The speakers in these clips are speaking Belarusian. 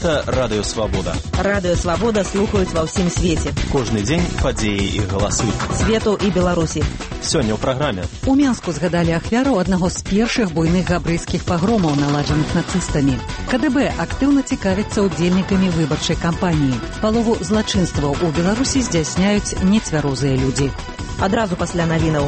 Гэта Радыё Свабода. Радыё Свабода слухаюць ва ўсім свеце. Кожны дзень падзеі і галасы. Свету і Беларусі. Сёння ў праграме. У Менску згадалі ахвяру аднаго з першых буйных габрэйскіх пагромаў, наладжаных нацыстамі. КДБ актыўна цікавіцца удзельнікамі выбарчай кампаніі. Палову злачынстваў у Беларусі здзяйсняюць нецвярозыя людзі. Адразу пасля навінаў.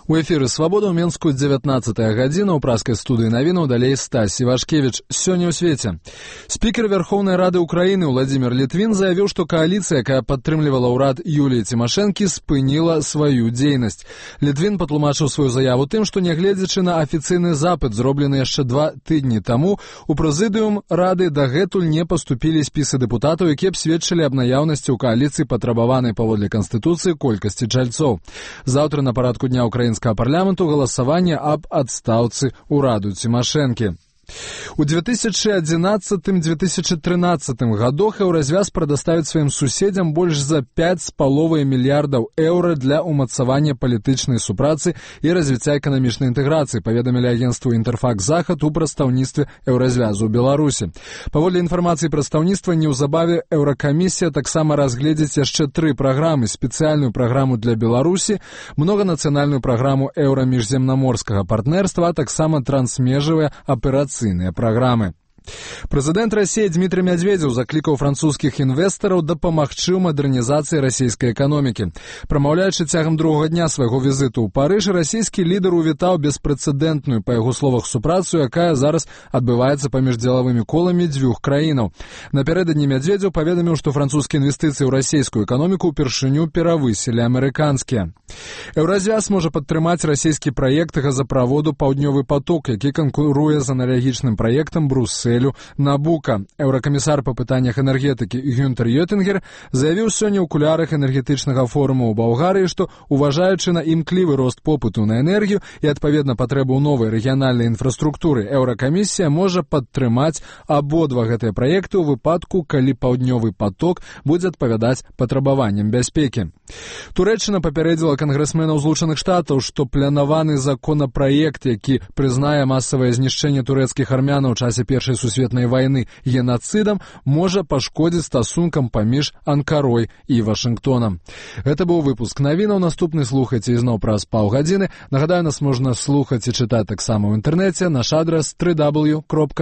У эфіры «Свабода» ў Менску 19-я гадзіна. У праскай студыі навінаў далей Стась Івашкевіч. Сёння ў свеце. Спікер Верховнай Рады Украіны Владзімир Літвін заявіў, што кааліцыя, якая падтрымлівала ўрад Юліі Цімашэнкі, спыніла сваю дзейнасць. Літвін патлумачыў сваю заяву тым, што нягледзячы на афіцыйны запыт, зроблены яшчэ 2 тыдні таму, у прэзідыум Рады дагэтуль не паступілі спісы дэпутатаў, якія б сведчылі аб наяўнасці ў кааліцыі патрабаванай паводле Канстытуцыі колькасці чальцоў. Заўтра на парадку дня украінскага парламенту галасаванне аб адстаўцы ўраду Цімашэнкі. У 2011-2013 годах Еўразвяз прадаставіць сваім суседзям больш за 5,5 мільярдаў еўра для ўмацавання палітычнай супрацы і развіцця эканамічнай інтэграцыі, паведамілі агенцтву «Інтэрфакс-Захад» у прадстаўніцтве Еўразвязу ў Беларусі. Паводле інфармацыі прадстаўніцтва, неўзабаве Еўракамісія таксама разгледзіць яшчэ 3 праграмы: спецыяльную праграму для Беларусі, многанацыянальную праграму еўра-міжземнаморскага партнерства, а таксама трансмежавыя аперацыйныя программы. Прэзідэнт Расіі Дмітрый Мядзведзеў заклікаў французскіх інвестараў дапамагчы ў мадэрнізацыі расійскай эканомікі. Прамаўляючы цягам другога дня свайго візіту ў Парыж, расійскі лідар увітаў беспрэцэдэнтную, па яго словах, супрацу, якая зараз адбываецца паміж дзелавымі коламі дзвюх краінаў. Напярэдадні Мядзведзеў паведаміў, што французскія інвестыцыі ў расійскую эканоміку ўпершыню перавысілі амерыканскія. Еўразвяз можа падтрымаць расійскі праект газаправоду «Паўднёвы поток», які канкуруе з аналагічным праектам Бруссель Набука. Еўракамісар па пытаннях энергетыкі Гюнтер Йотингер заявіў сёння ў кулярах энергетычнага форума ў Балгарыі, што, уважаючы на імклівы рост попыту на энергію і, адпаведна, патрэбу новай рэгіянальнай інфраструктуры, Еўракамісія можа падтрымаць абодва гэтыя праекты ў выпадку, калі «Паўднёвы поток» будзе адпавядаць патрабаванням бяспекі. Турэччына папярэдзіла кангрэсменаў Злучаных Штатаў, што планаваны законапраект, які прызнае масавае знішчэнне турэцкіх армянаў у часе Першай сусветнай вайны генацыдам, можа пашкодзіць стасункам паміж Анкарой і Вашынгтонам. Гэта быў выпуск навінаў. Наступны слухайце ізноў праз паўгадзіны. Нагадаю, нас можна слухаць і чытаць таксама ў інтэрнэце. Наш адрас www.swabota.org.